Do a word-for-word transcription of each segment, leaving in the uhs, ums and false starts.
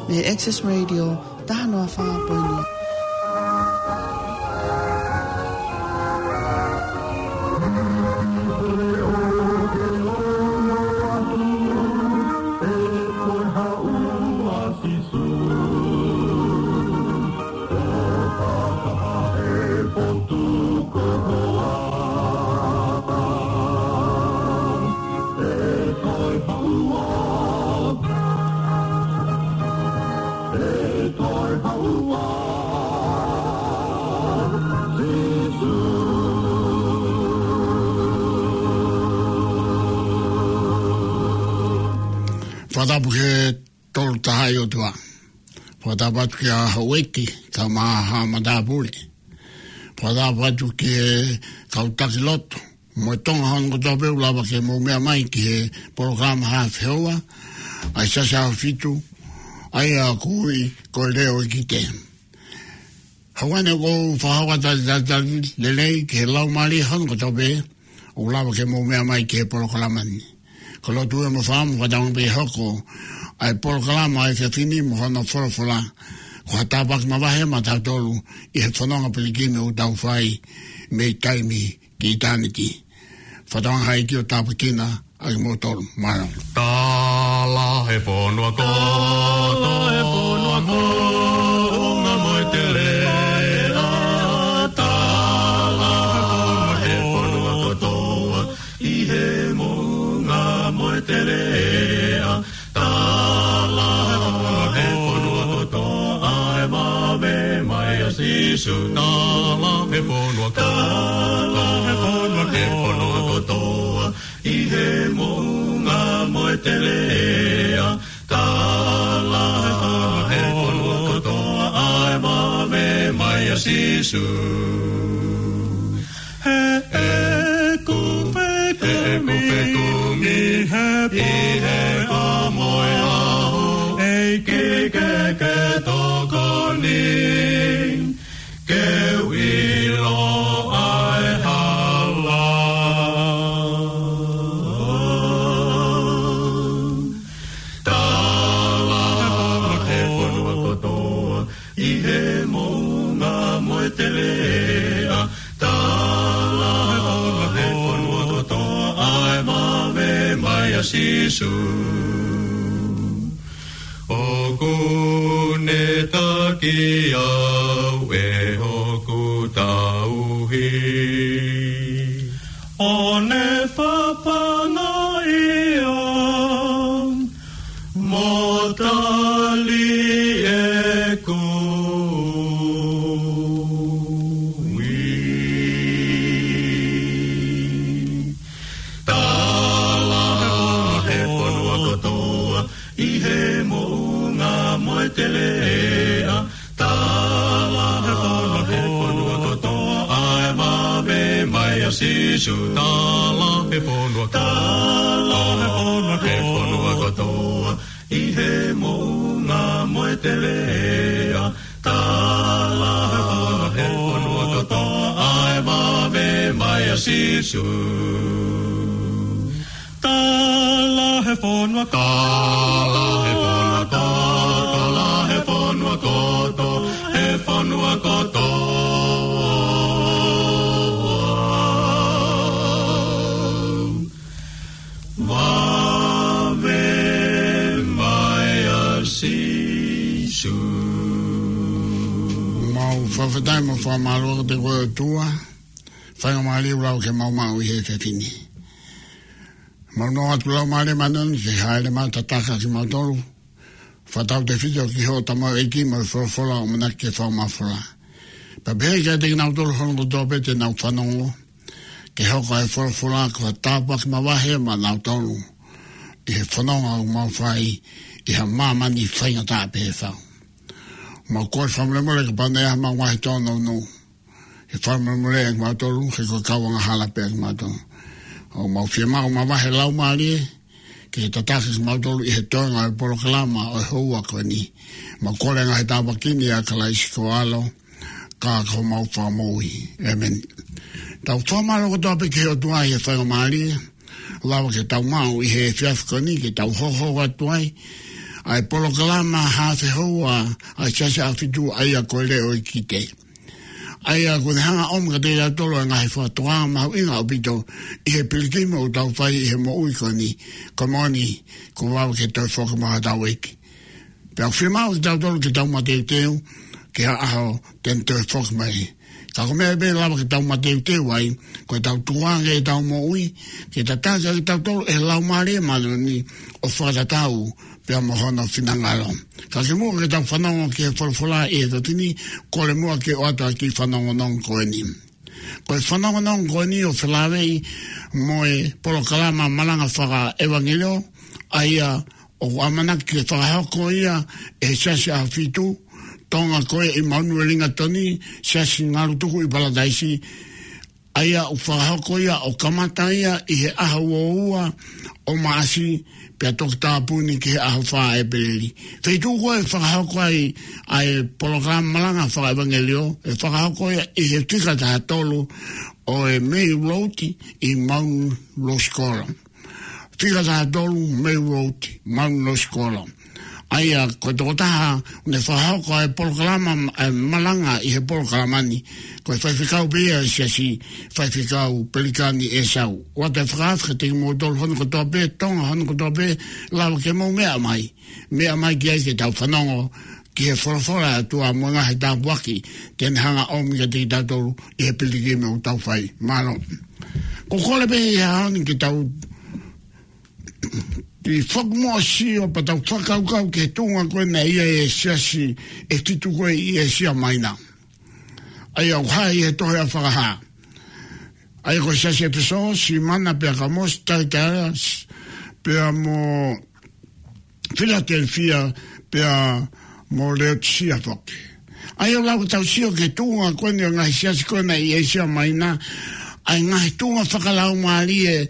Mei he Access Radio, taha noa fā poini. Fakatapu ki he Tolu Tahaʻi ʻOtua. Fakatapu atu kia Houʻeiki Taumaha Matāpule. Fakatapu atu ki he kau taki lotu mo e Tonga hono kotoa pē ʻoku lava ke mou meʻa mai ki he polokalama Haafe Houa ʻa e Siasi ʻAhofitu, ʻa ia ʻoku ui ko e Leo ʻEkite. Hangē ko ʻeku fakahoko atu ʻa e talitali lelei ki he laumālie hono kotoa pē ʻoku lava ke mou meʻa mai ki he polokalama ni. Ko e lotu ē mo e fakaʻamu, fakatauange pē ʻe hoko ʻa e polokalama ʻo e efiafi ni mo hono folofola ko ha tāpuaki mavahe maʻatautolu ʻi he fononga pilikimi ʻoku tau fai mei taimi ki ʻitāniti. Fakatauange ʻe he ʻEiki ʻo tāpuekina ʻa kimoutolu. Mālō. Tala he fonua kotoa. Tala he fonua kotoa. Moʻunga mo e teleʻa. Tala he fonua kotoa. ʻI he moʻunga mo e teleʻa. Tala he fonua kotoa ʻa e mavahe mai ʻa Sīsū. Tala he fonua kotoa. Tala he fonua kotoa. ʻI he moʻunga mo e teleʻa. Tala he fonua kotoa ʻa e mavahe mai ʻa Sīsū. He ʻeku fekumi. He ʻeku fekumi. ʻI he pō mo e ʻaho. ʻEiki ke ke tokoni. Ke u ʻilo ʻa e hala. Tala he fonua kotoa. ʻI he moʻunga mo e teleʻa. Tala he fonua kotoa ʻa e mavahe mai ʻa Sīsū. ʻOku ne taki au ʻe hoku tauhi. ʻO ne fafanga ia mo tali ʻeku ui. Tala he fonua kotoa, ʻi he moʻunga mo e teleʻa. Tala he fonua kotoa, ʻa e mavahe mai ʻa Sīsū. Tala he fonua, tala he fonua kotoa, ʻi he moʻunga mo e teleʻa. Tala he fonua kotoa, ʻa e mavahe mai ʻa Sīsū. Tala he fonua kotoa, tala he fonua kotoa, tala he fonua kotoa, he fonua kotoa. Mavahe mai ʻa Sīsū. Mau fakafetaʻi mo fakamālō atu ki he ʻOtua, faingamālie ʻoku lava ke mau maʻu ʻi he efiafi ni. Mau nofo atu Laumālie Māʻoniʻoni ke hāʻele mai ʻo tataki kimautolu, fakatautefito ki hoʻo tamaioʻeiki mo e folofola ʻoku ʻamanaki ke fakamafola. Pea pehē kiate kinautolu hono kotoa pē te nau fanongo, ke hoko ʻa e folofola ko ha tāpuaki mavahe maʻanautolu ʻi he fononga ʻoku mau fai ʻi ha māmani faingataʻa pē fau. Mau kole fakamolemole kapau naʻe ʻi ai haʻamau ngaahi tōnounou, ke fakamolemoleʻi kimautolu, he ko e kau angahala pē kimautolu. ʻOku mau fiemaʻu mavahe Laumālie ke tataki kimautolu ʻi he toenga ʻo e polokalama ʻo e houa ko eni. Mau kole ngaahi tāpuaki ni ʻia Kalaisi ko ho ʻAlo, ka ko homau Fakamoʻui. ʻĒmeni. Tau fakamālō kotoa pē ki he ʻOtua ʻi he faingamālie ʻoku lava ke tau maʻu ʻi he efiafi ko eni ke tau hokohoko atu ai ʻa e polokalama haafe houa ʻa e Siasi ʻAhofitu, ʻa ia ko e Leʻo ʻo e Kite. ʻA ia ʻoku ne hanga ʻo ʻomi kiate kitautolu ʻa e ngaahi fakatokanga mahuʻinga ʻaupito ʻi he pilikimi ʻoku tau fai ʻi he moʻui ko eni, ko e moʻoni, kuo vave ke toe foki mai hotau ʻEiki. Pea ʻoku fiemaʻu kiate kitautolu ke tau mateuteu ki ha ʻaho te ne toe foki mai. Ka ko e meʻa pē ʻe lava ke tau mateuteu ai, ko ʻetau tukuange ʻetau moʻui, ke tataki kitautolu ʻe he Laumālie Māʻoniʻoni ʻo fakatatau pea mo hono finangalo. Ka kimuʻa ke tau fanongo ki he folofola ʻi he efiafi ni, kole muʻa ke ʻoatu ʻa e kiʻi fanongonongo ko eni. Ko e fanongonongo ko eni ʻoku felāveʻi mo e polokalama malanga fakaʻevangeliō, ʻa ia ʻoku ʻamanaki ke fakahoko ia ʻe he Siasi ʻAhofitu Tonga ko ē ʻi Manurewa, Uelingatoni, Siasi Ngalutuku ʻi Palataisi, ʻa ia ʻoku fakahoko ia ʻo kamata ia ʻi he ʻaho uaua ʻo Maʻasi, pea toki tāpuni ki he ʻaho fā ʻEpeleli. Feituʻu ko ē ʻe fakahoko ai ʻa e polokalama malanga fakaʻevangeliō, ʻe fakahoko ia ʻi he fika taha tolu ʻo e Mei Road ʻi Mount Rosie College. Fika taha tolu Mei Road, Mount Rosie College. ʻA ia ko e tokotaha ʻoku ne fakahoko ʻa e polokalama, ʻa e malanga ʻi he polokalama ni, ko e faifekau pē ia ʻo e Siasi, Faifekau Pelikani ʻEsau. ʻOatu e fakaafe kiate kimoutolu hono kotoa pē, Tonga hono kotoa pē, lava ke mou meʻa mai. Meʻa mai ki ai ke tau fanongo ki he folofola ʻa e ʻOtua mo e ngaahi tāpuaki te ne hanga ʻo ʻomi kiate kitautolu ʻi he pilikimi ʻoku tau fai. Mālō. Ko e kole pē ʻi he ʻaho ni ke tau kiʻi foki muʻa ʻo sio pea tau fakakaukau ki he tuʻunga ko ē naʻe ʻi ai e siasi ʻe fitu ko ē ʻi ʻĒsia Maina. ʻA ia ʻoku hā ʻi he tohi ʻa Fakahā. ʻA ia ko e siasi ʻEfesō, Simana pea Kalamosi, Taiataila, pea mo Filatelefia, pea mo Leotisia foki. ʻA ia ʻoku lau ke tau sio ki he tuʻunga ko eni ʻo e ngaahi siasi ko ē naʻe ʻi ʻĒsia Maina, ʻa e ngaahi tuʻunga fakalaumālie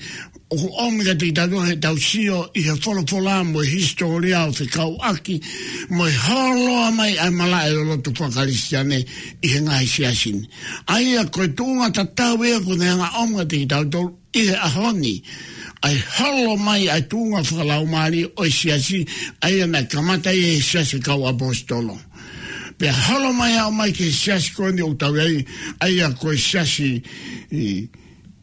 ʻoku ʻomi kiate kitautolu heʻetau sio ʻi he folofola mo e hisitōlia ʻo fekauʻaki mo e hōloa mai ʻa e malaʻe ʻo e lotu faka-Kalisitiane ʻi he ngaahi siasi ni. ʻA ia ko e tuʻunga tatau ia ʻoku ne hanga ʻo ʻomi kiate kitautolu ʻi he ʻaho ni, ʻa e holo mai ʻa e tuʻunga fakalaumālie ʻo e siasi, ʻa ia naʻe kamata ʻi he siasi kau ʻaposetolo. Pea holo mai ʻo aʻu mai ki he siasi ko eni ʻoku tau ʻi ai, ʻa ia ko e siasi ʻi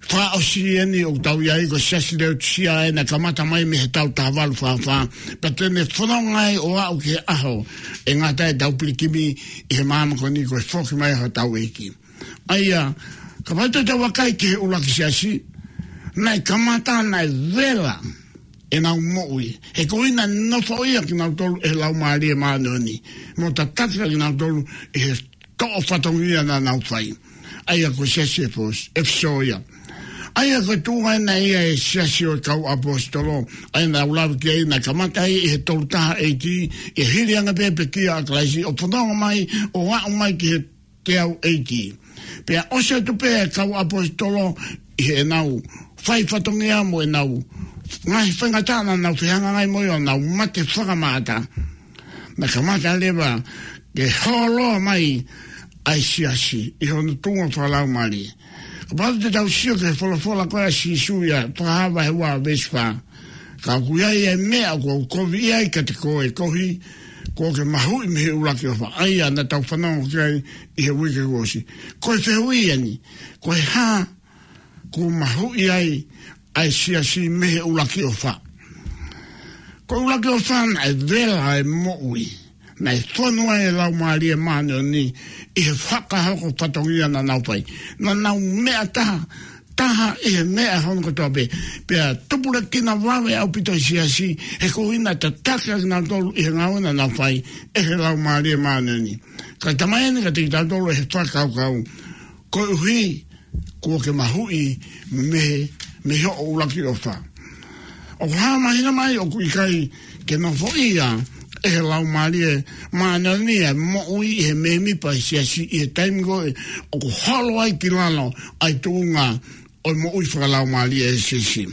fakaʻosi eni ʻoku tau ʻi ai, ko e siasi Leotisia, ʻa ia naʻe kamata mai mei he taʻu taha valu fā fā. Pea te ne fononga ai ʻo aʻu ki he ʻaho ʻe ngata ai ʻetau pilikimi ʻi he māmani ko eni, ko e foki mai hotau ʻEiki. ʻA ia, kapau te tau vakai ki he ʻuluaki siasi, naʻe kamata, naʻe vela ʻenau moʻui. He ko ia naʻe nofoʻia kinautolu ʻe he Laumālie Māʻoniʻoni mo tataki kinautolu ʻi he toʻo fatongia naʻa nau fai. ʻA ia ko e siasi ʻEfesō, ʻEfesō ia. ʻA ia ko e tuʻunga ena ia e siasi ʻo e kau ʻaposetolo, ʻa ia naʻa ku lave ki ai, naʻe kamata ai ʻi he tolu taha A.D., ʻi he hili ange pē pekia ʻa Kalaisi, ʻo fononga mai, ʻo aʻu mai ki he teau A.D. Pea ʻosi atu pē ʻa e kau ʻaposetolo ʻi heʻenau fai fatongia mo ʻenau ngaahi faingataʻa naʻa nau fehangahangai mo ia, ʻo nau mate fakamaʻata, naʻe kamata leva ke holoa mai ʻa e siasi ʻi hono tuʻunga fakalaumālie. Kapau te tau sio ki he folofola ko ē ʻa Sīsū ʻia Fakahā vahe ua veesi fā. Ka ʻoku ʻi ai e meʻa ʻoku ou koviʻi ai kiate koe, koeʻuhi kuo ke mahuʻi mei he ʻuluaki ʻofa. ʻA ia naʻa tau fanongo ki ai ʻi he uike kuo ʻosi. Ko e fehuʻi eni, ko e hā kuo mahuʻi ai ʻa e siasi mei he ʻuluaki ʻofa? Ko e ʻuluaki ʻofa naʻe vela e moʻui. Naʻe fonu ai e Laumālie Māʻoniʻoni ʻi he fakahoko fatongia naʻa nau fai. Naʻa nau meʻa taha, taha ʻi he meʻa hono kotoa pē. Pea tupulekina vave ʻaupito e siasi, he ko ia naʻe tataki kinautolu ʻi he ngāue naʻa nau fai ʻe he Laumālie Māʻoniʻoni. Ka ʻoku talamai eni kiate kitautolu ʻe he fakakaukau, koeʻuhi kuo ke mahuʻi mei, mei hoʻo ʻuluaki ʻofa. ʻOku hā mahino mai ʻoku ʻikai ke nofoʻia ʻe he Laumālie Māʻoniʻoni ʻa e moʻui ʻa e mēmipa ʻo e siasi ʻi he taimi ko ē ʻoku holo ai ki lalo ʻa e tuʻunga ʻo e moʻui fakalaumālie ʻa e siasi.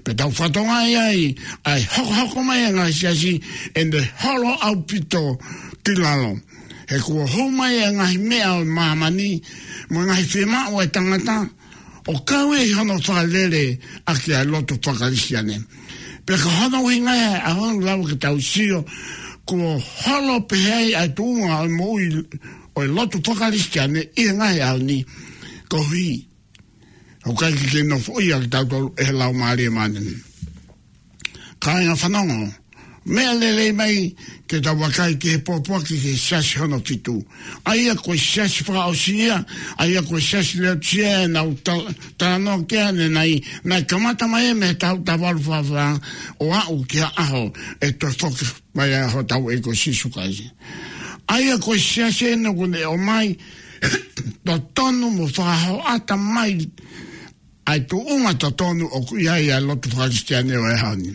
Pea tau fakatokangaʻi ai ʻa e hokohoko mai ʻa e ngaahi siasi, ʻene holo ʻaupito ki lalo. He kuo hū mai ʻa e ngaahi meʻa ʻo e māmani mo e ngaahi fiemaʻu ʻa e tangata, ʻo kau ia ʻi hono fakalele ʻaki ʻa e lotu faka-Kalisitiane. Pea ko hono ʻuhinga ia ʻa hono lau ke tau sio, kuo holo pehē ai ʻa e tuʻunga ʻo e moʻui ʻo e lotu fakakalisitiane ʻi he ngaahi ʻaho ni, koeʻuhi ʻoku ʻikai ke nofoʻia kitautolu ʻe he Laumālie Māʻoniʻoni. Kāinga fanongo, meʻa lelei mai ke tau vakai ki he pōpoaki ki he siasi hono fitu. ʻA ia ko e siasi fakaʻosi ia, ʻa ia ko e siasi Leotisia ʻenau ta-, talanoa ki ai ʻanenai, naʻe kamata mai ia mei he taha taha valu fā fā ʻo aʻu ki he ʻaho ʻe toe foki mai ai hotau ʻEiki ko Sīsū Kalaisi. ʻA ia ko e siasi ʻeni ʻoku ne ʻomai totonu mo fakahoʻata mai ʻa e tuʻunga totonu ʻoku ʻi ai ʻa e lotu fakakalisitiane ʻo e ʻaho ni.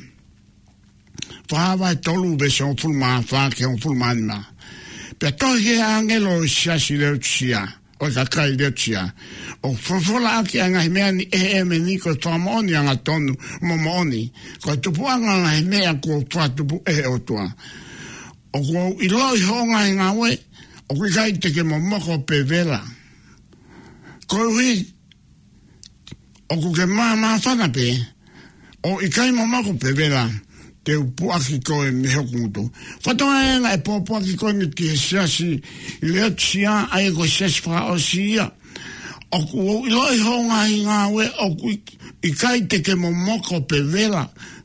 Fakahā vahe tolu veesi hongofulu mā fā ki he hongofulu mā nima. Pea tohi ki he ʻāngelo ʻo e siasi Leotisia, ʻo e kakai Leotisia, ʻoku folofola ʻaki ʻa e ngaahi meʻa ni ʻe he ʻĒmeni, ko e fakamoʻoni angatonu mo moʻoni, ko e tupuʻanga ʻo e ngaahi meʻa kuo fakatupu ʻe he ʻOtua. ʻOku ou ʻiloʻi hoʻo ngaahi ngāue, ʻoku ʻikai te ke momoko pe vela. Koeʻuhi ʻoku ke māmāfana pē, ʻo ʻikai momoko pe vela, te u puʻaki koe mei hoku ngutu. Fakatokangaʻi ange e pōpoaki ko eni ki he siasi Leotisia, ʻa ia ko e siasi fakaʻosi ia. ʻOku ou ʻiloʻi hoʻo ngaahi ngāue, ʻoku ʻi-, ʻikai te ke momoko pe vela,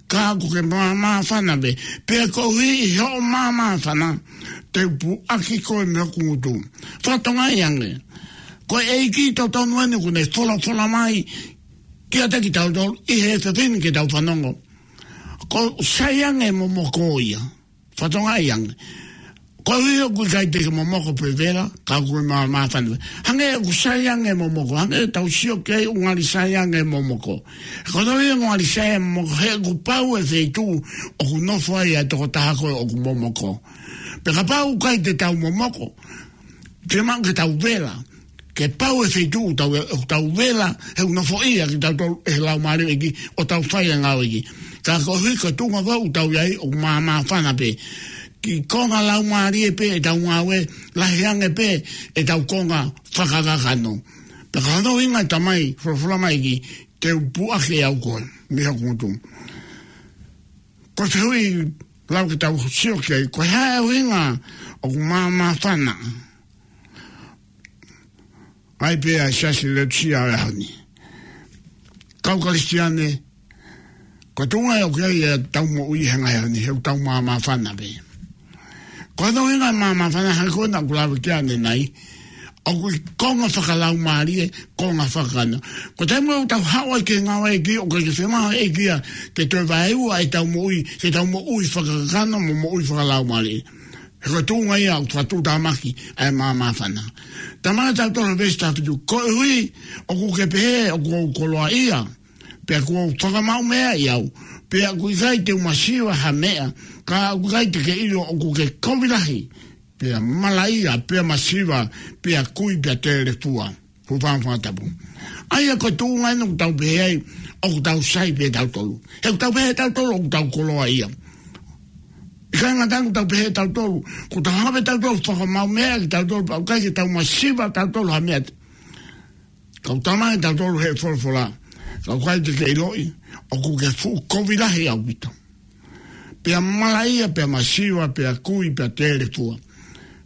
ka ʻoku ke māmāfana pē. Pea koeʻuhi hoʻo māmāfana, te u puʻaki koe mei hoku ngutu. Fakatokangaʻi ange, ko e ʻEiki totonu ʻeni ʻoku ne folofola mai kiate kitautolu ʻi he efiafi ni ke tau fanongo. ʻOku sai ange e momoko ia. Fakatokangaʻi ange, koeʻuhi ʻoku ʻikai te ke momoko pe vela, ka ʻoku ke māmāfana. Hangē ʻoku sai ange e momoko, hangē tau sio ki ai ʻoku ngali sai ange e momoko. Ko hono ʻuhinga ʻoku ngali sai e momoko, he ʻoku pau e feituʻu ʻoku nofo ai ʻa e tokotaha ko ē ʻoku momoko. Pea kapau ʻoku ʻikai te tau momoko, fiemaʻu ke tau vela. Ke pau e feituʻu ʻoku tau, ʻoku tau vela, he ʻoku nofoʻia kitautolu ʻe he Laumālie ʻo e ʻEiki, ʻo tau fai ʻa e ngāue ʻa e ʻEiki. Ka koeʻuhi ko e tuʻunga ʻoku tau ʻi ai, ʻoku māmāfana pē. Ki he konga laumālie pē ʻetau ngāue, lahi ange pē ʻetau konga fakakakano. Pea ko hono ʻuhinga e Tamai, folofola mai ʻEiki, te u puʻaki ʻe au koe mei hoku ngutu. Ko e fehuʻi lau ke tau sio ki ai, ko e hā e ʻuhinga ʻoku māmāfana ai pē ʻa e siasi Leotisia ʻo e ʻaho ni? Kau Kalisitiane, ko e tuʻunga ia ʻoku ʻi ai ʻetau moʻui he ngaahi ʻaho ni, he ʻoku tau māmāfana pē. Ko hono ʻuhinga e māmāfana, hangē ko ena ʻoku lave ki ai ʻanenai, ʻoku ʻi he konga fakalaumālie, konga fakakakano. Ko e taimi ʻoku tau haʻu ai ki he ngāue ʻa e ʻEiki, ʻoku ʻikai ke fiemaʻu ʻe he ʻEiki ia ke toe vaeua ʻetau moʻui, ke tau moʻui fakakakano mo moʻui fakalaumālie. He ko e tuʻunga ia ʻoku fakatuʻutāmaki ai e māmāfana. Talamai ʻe tautolu he veesi taha fitu, koeʻuhi ʻoku ke pehē ʻoku ou koloaʻia, pea kuo u fakamaʻumeʻaʻi au, pea ʻoku ʻikai te u masiva ha meʻa, ka ʻoku ʻikai te ke ʻilo ʻoku ke kovi lahi, pea malaʻia, pea masiva, pea kui, pea telefua. Fuʻu fanga fakatapu. ʻA ia ko e tuʻunga ʻeni ʻoku tau pehē ai, ʻoku tau sai pē tautolu. He ʻoku tau pehē tautolu ʻoku tau koloaʻia. ʻIkai ngata ai ʻoku tau pehē tautolu, ʻoku tau hanga pē tautolu ʻo fakamaʻumeʻa kitautolu, pea ʻoku ʻikai ke tau masiva tautolu ha meʻa. Ka ʻoku talamai ʻe tautolu he folofola, ka ʻoku ʻikai te ke ʻiloʻi ʻoku ke fuʻu kovi lahi ʻaupito, pea malaʻia, pea masiva, pea kui, pea telefua.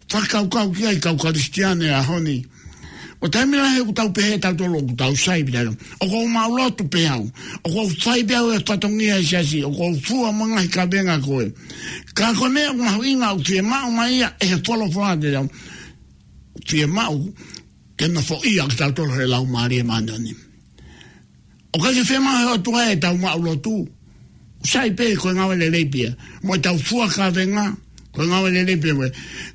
Fakakaukau ki ai kau Kalisitiane ʻaho ni. Ko e taimi lahi ʻoku tau pehē tautolu ʻoku tau sai pē tautolu. ʻOku ou maʻulotu pē au. ʻOku ou fai pē au e fatongia ʻa e siasi. ʻOku ou fua mo e ngaahi kavenga ko ē. Ka ko e meʻa ʻoku mahuʻinga ʻoku fiemaʻu mai ia ʻe he folofola te tau. Fiemaʻu ke nofoʻia kitautolu ʻe he Laumālie Māʻoniʻoni. ʻOku ʻikai ke fiemaʻu ʻe he ʻOtua ʻetau maʻulotu. Sai pē ko e ngāue lelei pē ia. Mo ʻetau fua kavenga, ko e ngāue lelei pē ia.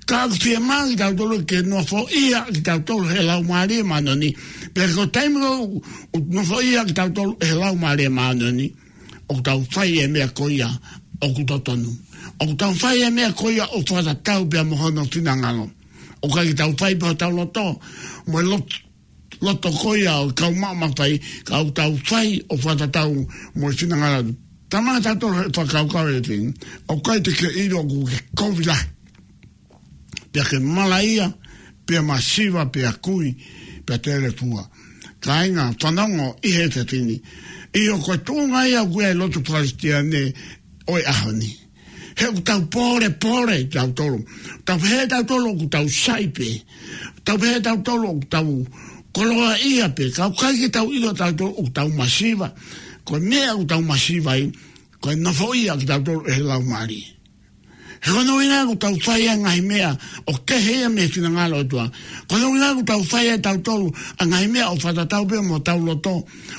Ka ʻoku fiemaʻu kitautolu ke nofoʻia kitautolu ʻe he Laumālie Māʻoniʻoni. Pea ko e taimi ʻoku nofoʻia kitautolu ʻe he Laumālie Māʻoniʻoni, ʻoku tau fai e meʻa ko ia ʻoku totonu. ʻOku tau fai e meʻa ko ia ʻoku fakatatau pea mo hono finangalo. ʻOku ʻikai ke tau fai pē hotau loto, mo e loto, loto ko ia ʻo e kau maʻu mafai, ka ʻoku tau fai ʻoku fakatatau mo e finangalo. Talamai ʻe tautolu he fakakaukau ʻe tini, ʻoku ʻikai te ke ʻilo ʻoku ke kovi lahi, pea ke malaʻia, pea masiva, pea kui, pea telefua. Kāinga, fanongo ʻi he efiafi ni. ʻIo, ko e tuʻunga ia ʻoku ʻi ai e lotu Kalisitiane ʻo e ʻaho ni. He ʻoku tau pōlepole tautolu. Tau pehē tautolu ʻoku tau sai pē. Tau pehē tautolu ʻoku tau koloaʻia pē. Ka ʻoku ʻikai ke tau ʻilo tautolu ʻoku tau masiva. Ko e meʻa ʻoku tau masiva ai, ko e nofoʻia kitautolu ʻe he Laumālie. He ko hono ʻuhinga ʻoku tau fai ʻa e ngaahi meʻa ʻoku kehe ia mei he finangalo ʻo e ʻOtua. Ko hono ʻuhinga ʻoku tau fai ʻe tautolu ʻa e ngaahi meʻa ʻoku fakatatau pē mo hotau loto.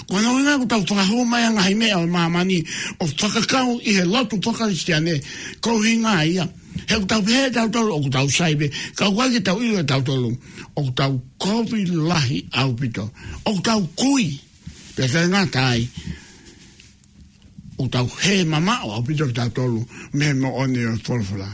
Ko hono ʻuhinga ʻoku tau fakahū mai ʻa e ngaahi meʻa ʻo māmani ʻo fakakau ʻi he lotu fakakalisitiane, ko e ʻuhinga ia. He ʻoku tau pehē ʻe tautolu ʻoku tau sai pē, ka ʻoku ʻikai ke tau ʻilo ʻe tautolu ʻoku tau kovi lahi ʻaupito. ʻOku tau kui, pea ʻikai ngata ai, ʻoku tau hē mamaʻo ʻaupito kitautolu mei he moʻoni ʻo e folofola.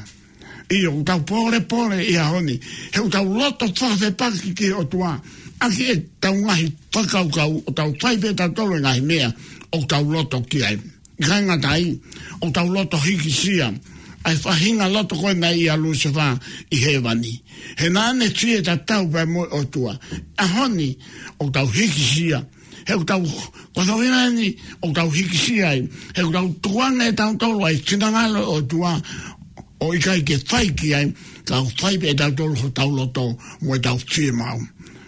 ʻIo, ʻoku tau pōlepole ʻi he ʻaho ni. He ʻoku tau loto fakafepaki ki he ʻOtua ʻaki ʻetau ngaahi fakakaukau, ʻoku tau fai pē tautolu e ngaahi meʻa ʻoku tau loto ki ai. ʻIkai ngata ai, ʻoku tau loto hikisia ʻa e faʻahinga loto ko ē naʻe ʻia Lusefā ʻi hēvani. He naʻa ne fie tatau pē mo e ʻOtua. ʻAho ni, ʻoku tau hikisia. He ʻoku tau, ko hono ʻuhinga eni ʻoku tau hikisia ai. He ʻoku tau tukuange ʻe tautolu ʻa e finangalo ʻo e ʻOtua ʻo ʻikai ke fai ki ai, ka ʻoku fai pē ʻe tautolu hotau loto mo ʻetau fiemaʻu.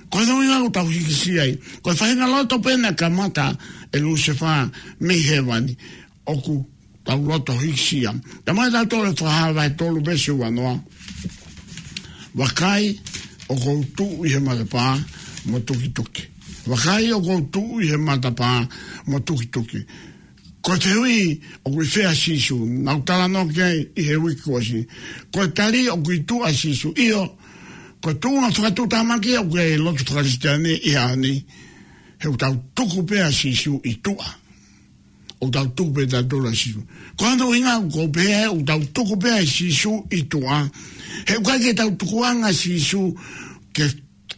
Ko hono ʻuhinga ʻoku tau hikisia ai. Ko e faʻahinga loto pē naʻe kamata ʻe Lusefā mei hēvani. ʻOku tau loto hikisia. Talamai ʻe tautolu ʻe Fakahā vahe tolu veesi uanoa: Vakai, ʻoku ou tuʻu ʻi he matapā mo tukituki. Vakai, ʻoku ou tuʻu ʻi he matapā mo tukituki. Ko e fehuʻi, ʻoku ʻi fē ʻa Sīsū? Naʻa ku talanoa ki ai ʻi he uike kuo ʻosi. Ko e tali, ʻoku ʻi tuʻa ʻa Sīsū. ʻIo, ko e tuʻunga fakatuʻutāmaki ʻoku ʻi he lotu fakakalisitiane ʻi he ʻaho ni. He ʻoku tau tuku pē ʻa Sīsū ʻi tuʻa. ʻOku tau tuku pē tautolu ʻa Sīsū. Ko hono ʻuhinga ʻoku ou pehē ʻoku tau tuku pē ʻa Sīsū ʻi tuʻa. He ʻoku ʻikai ke tau tukuange ʻa Sīsū ke,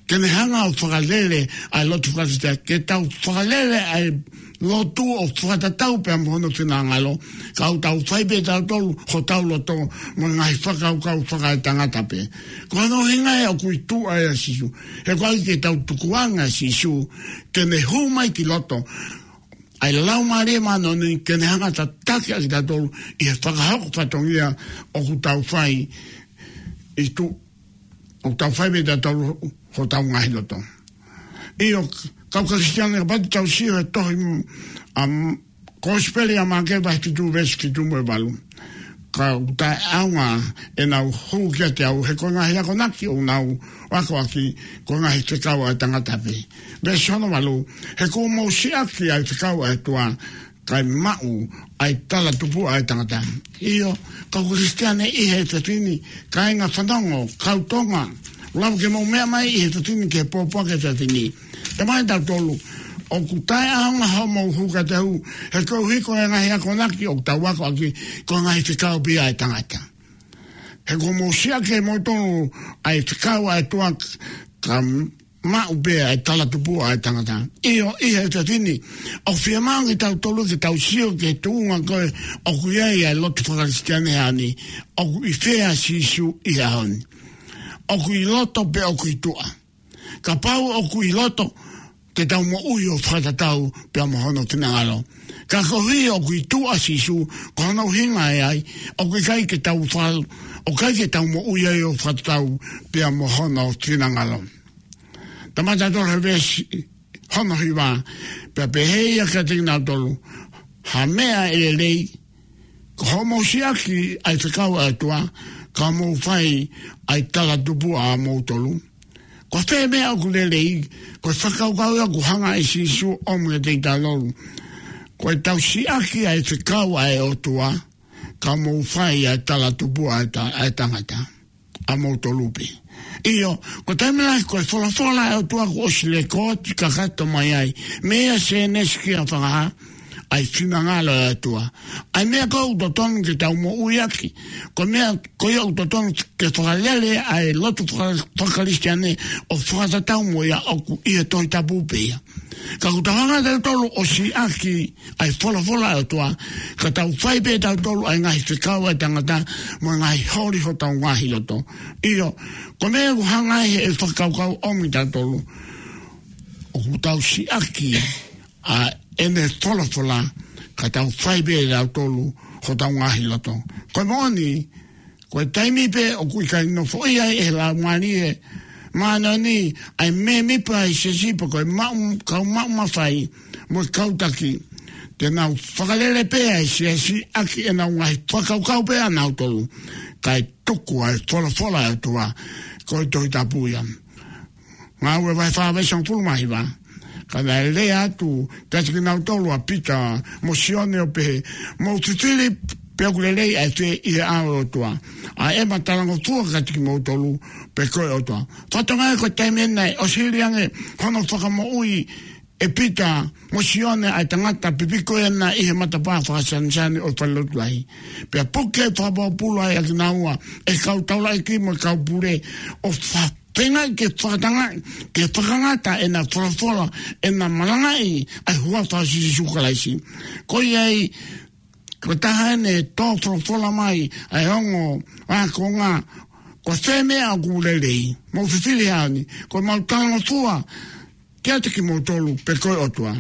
ke ne hanga ʻo fakalele ʻa e lotu fakakalisitiane, ke tau fakalele ʻa e lotu ʻo fakatatau pea mo hono finangalo. Ka ʻoku tau fai pē tautolu hotau loto mo e ngaahi fakakaukau fakaetangata pē. Ko hono ʻuhinga ia ʻoku ʻi tuʻa ʻa Sīsū. He ʻoku ʻikai ke tau tukuange ʻa Sīsū ke ne hū mai ki loto ʻa e Laumālie Māʻoniʻoni ke ne hanga ʻo tataki ʻa kitautolu ʻi he fakahoko fatongia ʻoku tau fai ʻi tuʻa, ʻoku tau fai mei tautolu hotau ngaahi loto. ʻIo, kau Kalisitiane, kapau te tau sio he tohi, um, Kosipeli ʻa Maʻake vahe fitu veesi fitu mo e valu. Ka ʻoku taʻeʻaonga ʻenau hū kiate au, he ko e ngaahi akonaki ʻoku nau akoʻaki ko e ngaahi fekau ʻa e tangata pē. Veesi hono valu: He kuo mou siʻaki ʻa e fekau ʻa e ʻOtua, kae maʻu ʻa e talatupuʻa ʻa e tangata. ʻIo, kau Kalisitiane ʻi he efiafi ni, kāinga fanongo, kau Tonga, lava ke mou meʻa mai ʻi he efiafi ni ki he pōpoaki ʻa e efiafi ni. Talamai ʻe tautolu, ʻoku taʻeʻaonga hoʻomou hū kiate au, he koeʻuhi ko e ngaahi akonaki ʻoku tau akoʻaki ko e ngaahi fekau pē ia ʻa e tangata. He kuo mou siʻaki ʻe moutolu ʻa e fekau ʻa e ʻOtua, ka maʻu pē ʻa e talatupuʻa ʻa e tangata. ʻIo, ʻi he efiafi ni, ʻoku fiemaʻu kiate kitautolu ke tau sio ki he tuʻunga ko ē ʻoku ʻi ai ʻa e lotu fakakalisitiane he ʻaho ni, ʻoku ʻi fē ʻa Sīsū ʻi he ʻaho ni. ʻOku ʻi loto pe ʻoku ʻi tuʻa. Kapau ʻoku ʻi loto, te tau moʻui ʻo fakatatau pea mo hono finangalo. Ka koeʻuhi ʻoku ʻi tuʻa ʻa Sīsū, ko hono ʻuhinga ia ai, ʻoku ʻikai ke tau fal-, ʻoku ʻikai ke tau moʻui ai ʻo fakatatau pea mo hono finangalo. Talamai ʻe tautolu he veesi hono hiva, pea pehē ia kiate kinautolu, ha meʻa ʻe lelei, ko hoʻomou siʻaki ʻa e fekau ʻa e ʻOtua, ka mou fai ʻa e talatupuʻa ʻamoutolu. Ko fē meʻa ʻoku lelei, ko e fakakaukau ia ʻoku hanga ʻe Sīsū ʻo ʻomi kiate kitautolu. Ko ʻetau siʻaki ʻa e fekau ʻa e ʻOtua, ka mou fai ʻa e talatupuʻa ʻa e ta-, ʻa e tangata, ʻamoutolu pē. ʻIo, ko e taimi lahi ko e folofola ʻa e ʻOtua kuo ʻosi lēkooti kakato mai ai, meia Sēnesi kia Fakahā, ʻa e finangalo ʻo e ʻOtua. ʻA e meʻa ko ē ʻoku totonu ke tau moʻui ʻaki, ko e meʻa ko ia ʻoku totonu ke fakalele ʻa e lotu faka-, fakakalisitiane ʻo fakatatau mo ia, ʻoku ʻi he Tohi Tapu pē ia. Ka ʻoku tau hanga ʻe tautolu ʻo siʻaki ʻa e folofola ʻa e ʻOtua, ka tau fai pē ʻe tautolu ʻa e ngaahi fekau ʻa e tangata mo e ngaahi holi hotau ngaahi loto. ʻIo, ko e meʻa ʻoku hanga ai ʻe he fakakaukau ʻo ʻomi kitautolu, ʻoku tau siʻaki ʻa ʻene folofola, ka tau fai pē ʻe tautolu hotau ngaahi loto. Ko e moʻoni, ko e taimi pē ʻoku ʻikai nofoʻia ai ʻe he Laumālie Māʻoniʻoni ʻa e mēmipa ʻi he siasi pe ko e maʻu, kau maʻu mafai mo e kau taki, te nau fakalele pē ʻa e siasi ʻaki ʻenau ngaahi fakakaukau pē ʻanautolu, kae tuku ʻa e folofola ʻa e ʻOtua, ko e Tohi Tapu ia. Ngāue vahe fā veesi hongofulu mā hiva. Ka naʻe lea atu kiate kinautolu ʻa Pita mo Sione ʻo pehē, mou fifili pe ʻoku lelei ʻa e fē ʻi he ʻao ʻo e ʻOtua, ʻa ʻema talangofua kiate kimoutolu pe ko e ʻOtua. Fatongia ko e taimi ʻena ʻosi hili ange hono fakamoʻui ʻe Pita mo Sione ʻa e tangata pipiko ʻena ʻi he matapā fakasanisani ʻo e falelotu lahi. Pea puke fakapōpula ai ʻa kinaua ʻe he kau taulaʻeiki mo e kau pule ʻo fa- feinga ke fakatangaʻi, ke fakangata ʻena folofola, ʻena malangaʻi ʻa e huafa ʻo Sīsū Kalaisi. Ko ia ai, ko e taha ʻene tō folofola mai ʻa e ongo ākonga, ko e fē meʻa ʻoku lelei, mou fifili he ʻaho ni, ko ʻemau talangofua kiate kimoutolu pe ko e ʻOtua.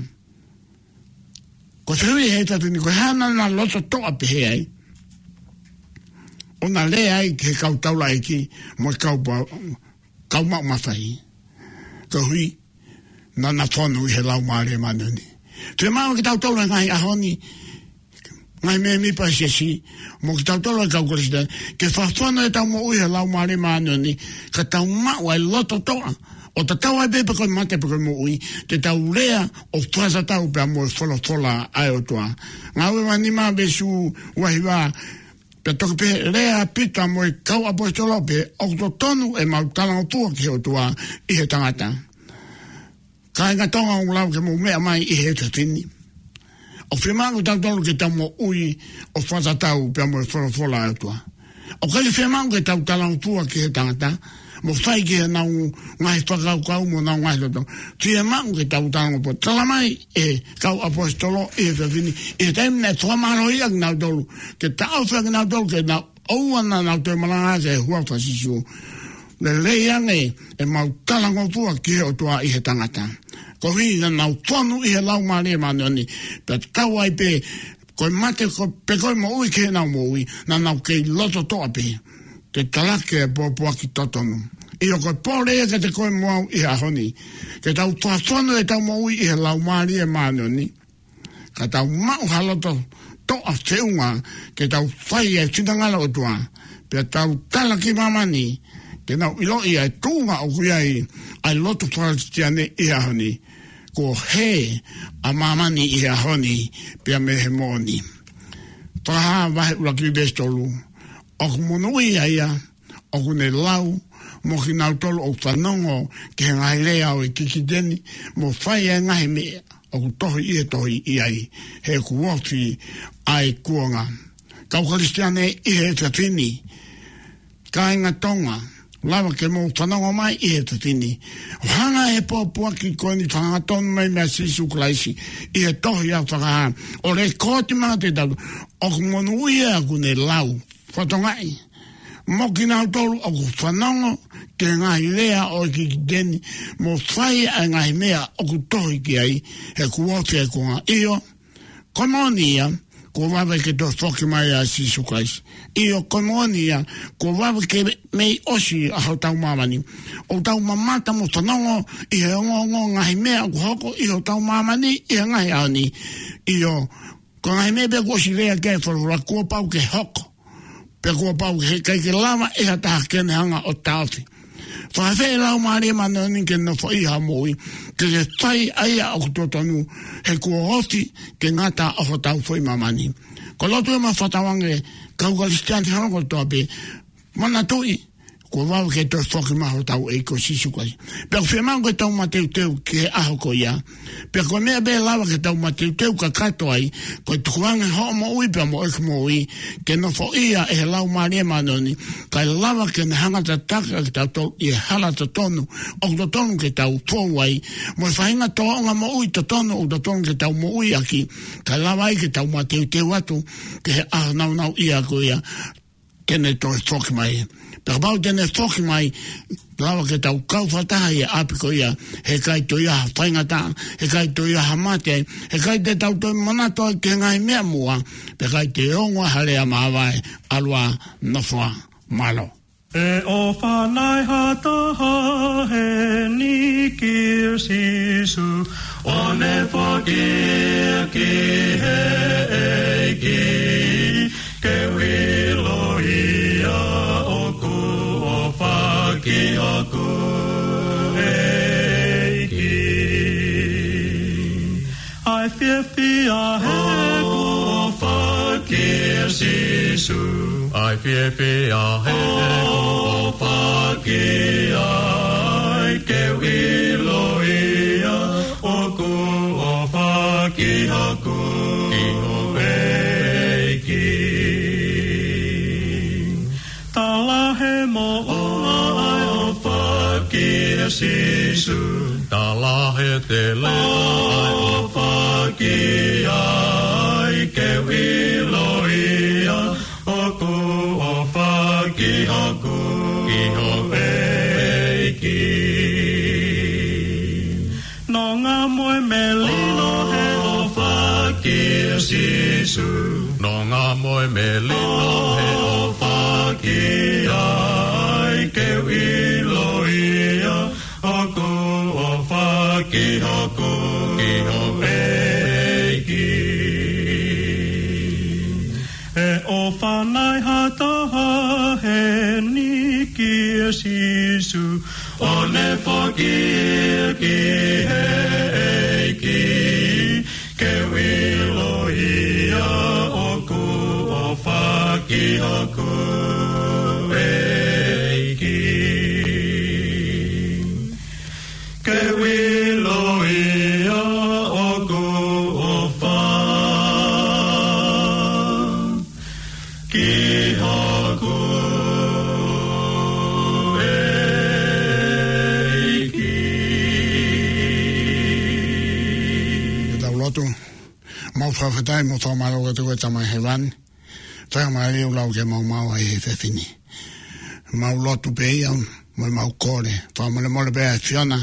Ko e fehuʻi he efiafi ni, ko e hā naʻa na loto toʻa pehē ai? ʻO na lea ai ki he kau taulaʻeiki mo e kau pa-, kau maʻu mafai. Koeʻuhi naʻa na fonu ʻi he Laumālie Māʻoniʻoni. Fiemaʻu kiate kitautolu he ngaahi ʻaho ni, ngaahi mēmipa ʻo e siasi, mo kitautolu ʻa e kau Kalisitiane, ke fakafonu ʻetau moʻui he Laumālie Māʻoniʻoni, ka tau maʻu ʻa e loto toʻa, ʻo tatau ai pē pe ko e mate pe ko e moʻui, te tau lea ʻo fakatatau pea mo e folofola ʻa e ʻOtua. Ngāue vahe nima veesi ua hiva, pea toki pehē, lea ʻa Pita mo e kau ʻaposetolo pē, ʻoku totonu ʻemau talangofua ki he ʻOtua ʻi he tangata. Kāinga Tonga, ʻoku lava ke mou meʻa mai ʻi he efiafi ni. ʻOku fiemaʻu kiate kitautolu ke tau moʻui ʻo fakatatau pea mo e folofola ʻa e ʻOtua. ʻOku ʻikai fiemaʻu ke tau talangofua ki he tangata, mo fai ki heʻenau ngaahi fakakaukau mo ʻenau ngaahi loto. Fiemaʻu ke tau talangofua. Tala mai ʻe he kau ʻaposetolo ʻi he efiafi ni, ʻi he taimi naʻe fakamālohiʻi ʻakinautolu, ke taʻofi ʻakinautolu ke nau ʻoua naʻa nau toe malanga ki he huafa ʻo Sīsū. Lelei ange ʻemau talangofua ki he ʻOtua ʻi he tangata. Koeʻuhi naʻa nau fonu ʻi he Laumālie Māʻoniʻoni, pea tatau ai pē ko e mate ko, pe ko e moʻui ki heʻenau moʻui, naʻa nau kei loto toʻa pē. Ke talaki e pōpoaki totonu. ʻIo, ko e pole ia kiate koe mo au ʻi he ʻaho ni. Ke tau fakafonu ʻetau moʻui ʻi he Laumālie Māʻoniʻoni. Ka tau maʻu ha loto toʻa feʻunga ke tau fai e finangalo ʻOtua. Pea tau tala ki māmani, ke nau ʻiloʻi ʻa e tuʻunga ʻoku ʻi ai ʻa e lotu fakakalisitiane ʻi he ʻaho ni. Kuo hē ʻa māmani ʻi he ʻaho ni, pea mei he moʻoni. Fakahā vahe ʻuluaki veesi tolu. ʻOku monūʻia ia ʻoku ne lau, mo kinautolu ʻoku fanongo ki he ngaahi lea ʻo e kikite ni, mo fai e ngaahi meʻa ʻoku tohi ʻi he tohi ʻi ai, he kuo ofi ʻa e kuonga. Kau Kalisitiane ʻi he efiafi ni, kāinga Tonga, lava ke mou fanongo mai ʻi he efiafi ni. ʻO hanga ʻe he pōpoaki ko eni fakahangatonu mai meia Sīsū Kalaisi ʻi he tohi ʻa Fakahā, ʻo lekooti mai kiate kitautolu, ʻoku monūʻia ʻoku ne lau, fatongaʻi, mo kinautolu ʻoku fanongo ki he ngaahi lea ʻo e kikite ni, mo fai ʻa e ngaahi meʻa ʻoku tohi ki ai, he kuo ofi ʻa e kuonga. ʻIo, ko e moʻoni ia, kuo vave ke toe foki mai ʻa Sīsū Kalaisi. ʻIo, ko e moʻoni ia, kuo vave ke mei ʻosi ʻa hotau māmani. ʻOku tau mamata mo fanongo ʻi he ongoongo ngaahi meʻa ʻoku hoko ʻi hotau māmani ʻi he ngaahi ʻaho ni. ʻIo, ko e ngaahi meʻa pē kuo ʻosi lea ki ai e folofola, kuo pau ke hoko. Pea kuo pau ke, ʻikai ke lava ʻe ha taha ke ne hanga ʻo taʻofi. Fakafeʻi ʻe he Laumālie Māʻoniʻoni ke nofoʻia hoʻo moʻui, ke ke fai ʻa ia ʻoku totonu, he kuo ofi ke ngata ʻa hotau foʻi māmani. Ko e lotu ē maʻa fakatauange, kau Kalisitiane ʻi he ʻaho kotoa pē, manatuʻi, kuo vave ke toe foki mai hotau ʻEiki ko Sīsū Kalaisi. Pea ʻoku fiemaʻu ke tau mateuteu ki he ʻaho ko ia. Pea ko e meʻa pē ʻe lava ke tau mateuteu kakato ai, ko e tukuange hoʻo moʻui pea mo ʻeku moʻui, ke nofoʻia ʻe he Laumālie Māʻoniʻoni, kae lava ke ne hanga ʻo tataki ʻa kitautolu ʻi he hala totonu ʻoku totonu ke tau fou ai, mo e faʻahinga tōʻonga moʻui totonu ʻoku totonu ke tau moʻui ʻaki, kae lava ai ke tau mateuteu atu ki he ʻaho nāunauʻia ko ia, ke ne toe foki mai. Pea kapau te ne foki mai, lava ke tau kau fakataha ʻi he ʻapi ko ia, heʻikai toe ʻi ai ha faingataʻa, heʻikai toe ʻi ai ha mate, heʻikai te tau toe manatu ai ki he ngaahi meʻa muʻa, pea ʻikai te ongo ha lea māvae, ʻalu ā, nofo ā, mālō. ʻE ʻofa nai ha taha heni kia Sīsū, ʻo ne foaki ia ki he ʻEiki, ke u ʻilo ia ʻoku ʻofa ki hoku ʻEiki. ʻAi fiefia he ʻoku ʻofa kia Sīsū. ʻAi fiefia he ʻoku ʻofa ki ai, ke u ʻilo ia ʻoku ʻofa ki hoku ʻEiki. Tala he moʻunga ʻa e ʻofa kia Sīsū. Tala he tele ʻa e ʻofa ki ai, ke u ʻilo ia ʻoku ʻofa ki hoku ʻEiki. Nonga mo e melino he ʻofa kia Sīsū. Nonga mo e melino he ʻofa ki ai, ke u ʻilo ia ʻoku ʻofa ki hoku ʻEiki. ʻE ʻofa nai ha taha heni kia Sīsū, ʻo ne foaki ia ki he ʻEiki, ke u ʻilo ia ʻoku ʻofa ki hoku ʻEiki. Ke u ʻilo ia ʻoku ʻofa ki hoku ʻEiki. Ke tau lotu. Mau fakafetaʻi mo fakamālō atu ki he Tamai Hēvani. Fakamālō ʻoku lau ke mau maʻu ʻa e efiafi ni. Mau lotu pē ia, mo mau kole. Fakamolemole pē ʻa e ʻAfiona.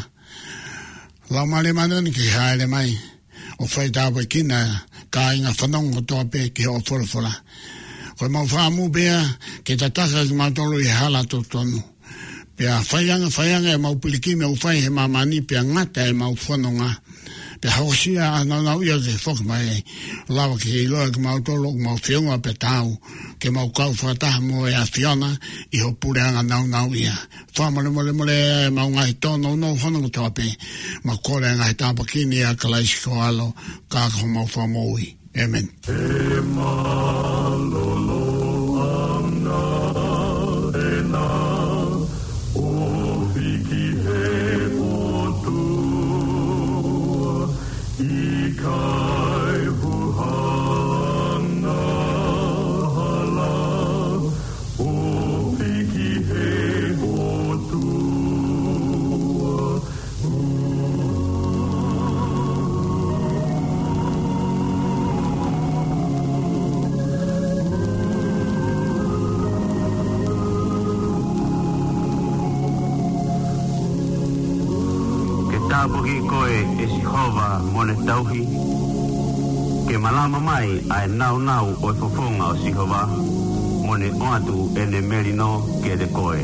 Laumālie Māʻoniʻoni ke hāʻele mai ʻo fai tāpuekina kāinga fanongo kotoa pē ki hoʻo folofola. Ko e mau fakaʻamu pē ia ke tataki kimautolu ʻi he hala totonu. Pea fai ange, fai ange ʻemau pilikimi ʻoku fai he māmani, pea ngata ʻemau fononga. Pea hokosia ʻa e nāunau ia ke foki mai ai. Lava ke ʻiloa kimautolu ʻoku mau feʻunga pea taau ke mau kau fakataha mo e ʻAfiona ʻi hoʻo puleʻanga nāunau ia. Fakamolemolemoleʻi ʻemau ngaahi tōnounou hono kotoa pē. Mau kole ʻa e ngaahi tāpuaki ni ʻia Kalaisi ko ho ʻAlo, ka ko homau Fakamoʻui. ʻĒmeni. He mālōlō ʻa e ngaahi ʻofa ki he ʻOtua, ʻikai huhanga hala, ʻofa ki he ʻOtua. Ke tāpuakiʻi koe ʻe Sihova mo ne tauhi. Ke malama mai ʻa e nāunau ʻo e fofonga ʻo Sihova, mo ne ʻoatu ʻene melino kiate koe.